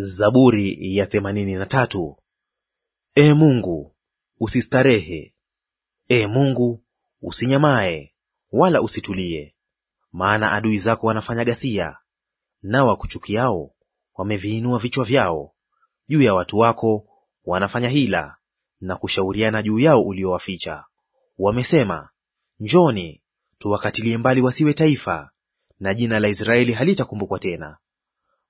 Zaburi ya 83. Ee Mungu, usistarehe. Ee Mungu, usinyamae, wala usitulie. Maana adui zako wanafanya ghasia, nao wakuchukiao wameviinua vichwa vyao. Juu ya watu wako wanafanya hila, na kushauriana juu yao uliowaficha. Wamesema, njoni, tuwakatilie mbali wasiwe taifa, na jina la Israeli halitakumbukwa tena.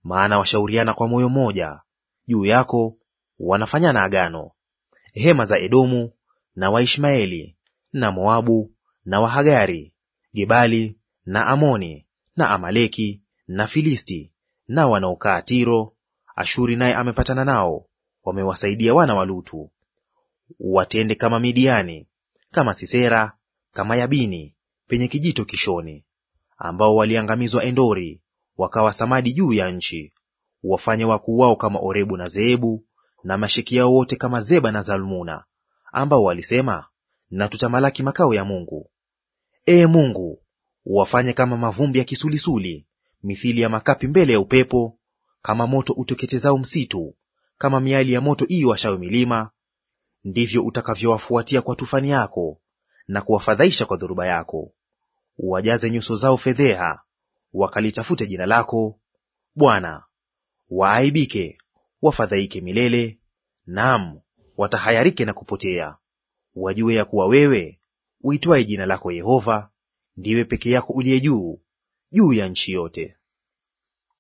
Maana washauriana kwa moyo mmoja, juu yako wanafanyana agano. Hema za Edomu na Waishmaeli na Moabu na Wahagari, Gebali na Amoni na Amaleki na Filisti na wanaokaa Tiro, Ashuri naye amepatana nao, wamewasaidia wana wa Lutu. Watende kama Midiani, kama Sisera, kama Yabini penye kijito Kishoni, ambao waliangamizwa Endori, wakawa samadi juu ya nchi. Wafanye wakuu wao kama Orebu na Zeebu, na masheki yao wote kama Zeba na Zalmuna, ambao walisema, na tutamalaki makao ya Mungu. Ee Mungu, wafanye kama mavumbi ya kisulisuli, mithili ya makapi mbele ya upepo, kama moto uteketezao msitu, kama miali ya moto iiwashayo milima. Ndivyo utakavyowafuatia kwa tufani yako, na kuwafadhaisha kwa dhoruba yako. Uwajaze nyuso zao fedheha, wakalitafute jina lako, Bwana. Waaibike, wafadhaike milele, naam, watahayarike na kupotea. Wajue ya kuwa wewe uitwaye jina lako Yehova, ndiwe peke yako uliye juu juu ya nchi yote.